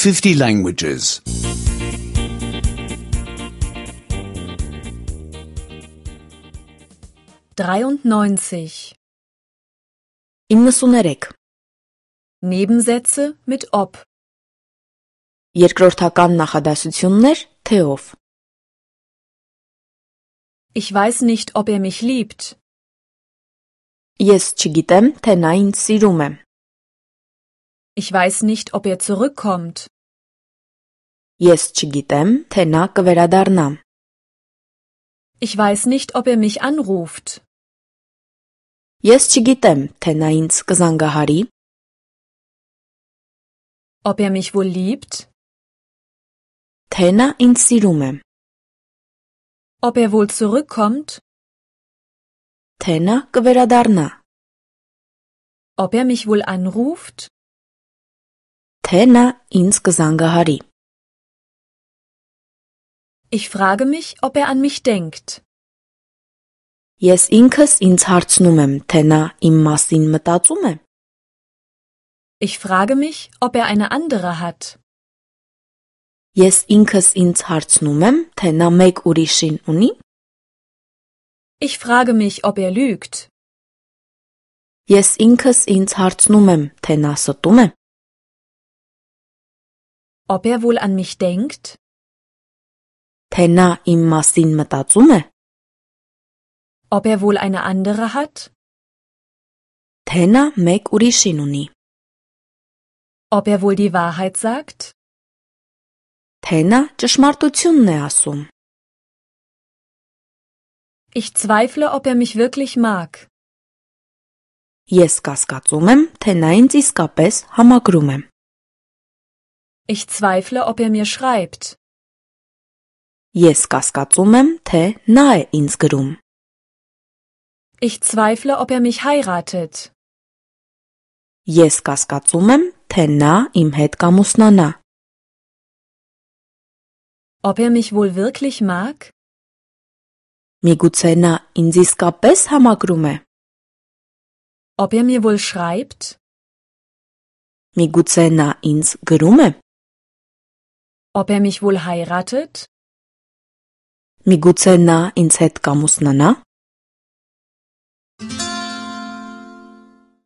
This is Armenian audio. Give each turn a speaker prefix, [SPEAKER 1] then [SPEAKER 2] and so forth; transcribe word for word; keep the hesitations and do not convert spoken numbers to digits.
[SPEAKER 1] fifty languages.
[SPEAKER 2] dreiundneunzig.
[SPEAKER 3] իննսուներեք.
[SPEAKER 2] Nebensätze mit ob.
[SPEAKER 3] Երկրորդական նախադասություններ թեով.
[SPEAKER 2] Ich weiß nicht, ob er mich liebt.
[SPEAKER 3] Ես չգիտեմ, թե նա ինձ սիրում է.
[SPEAKER 2] Ich weiß nicht, ob er zurückkommt.
[SPEAKER 3] Ես չգիտեմ, թե նա կվերադառնա.
[SPEAKER 2] Ich weiß nicht, ob er mich anruft.
[SPEAKER 3] Ես չգիտեմ, թե նա ինձ կզանգահարի.
[SPEAKER 2] Ob er mich wohl liebt?
[SPEAKER 3] Թե նա ինձ սիրում է.
[SPEAKER 2] Ob er wohl zurückkommt?
[SPEAKER 3] Թե նա կվերադառնա.
[SPEAKER 2] Ob er mich wohl anruft?
[SPEAKER 3] Թե նա ինձ կզանգահարի.
[SPEAKER 2] Ich frage mich, ob er an mich denkt.
[SPEAKER 3] Ես ինքս ինձ հարցնում եմ, թե նա իմ մասին մտածում է.
[SPEAKER 2] Ich frage mich, ob er eine andere hat.
[SPEAKER 3] Ես ինքս ինձ հարցնում եմ, թե նա մեկ ուրիշին ունի.
[SPEAKER 2] Ich frage mich, ob er lügt.
[SPEAKER 3] Ես ինքս ինձ հարցնում եմ, թե նա ստում է.
[SPEAKER 2] Ob er wohl an mich denkt?
[SPEAKER 3] Թե նա իմ մասին մտածում է.
[SPEAKER 2] Ob er wohl eine andere hat?
[SPEAKER 3] Թե նա մեկ ուրիշին ունի.
[SPEAKER 2] Ob er wohl die Wahrheit sagt?
[SPEAKER 3] Թե նա ճշմարտությունն է ասում.
[SPEAKER 2] Ich zweifle, ob er mich wirklich mag.
[SPEAKER 3] Ես կասկածում եմ, թե նա ինձ իսկապես համակրում է.
[SPEAKER 2] Ich zweifle, ob er mir schreibt.
[SPEAKER 3] Ես կասկածում եմ, թե նա է ինձ գրում.
[SPEAKER 2] Ich zweifle, ob er mich heiratet.
[SPEAKER 3] Ես կասկածում եմ, թե նա իմ հետ կամուսնանա.
[SPEAKER 2] Ob er mich wohl wirklich mag?
[SPEAKER 3] Միգուցե նա ինձ իսկապես համակրում է.
[SPEAKER 2] Ob er mir wohl schreibt?
[SPEAKER 3] Միգուցե նա ինձ գրում է.
[SPEAKER 2] Ob er mich wohl heiratet?
[SPEAKER 3] Միգուցե նա ինձ հետ կամուսնանա.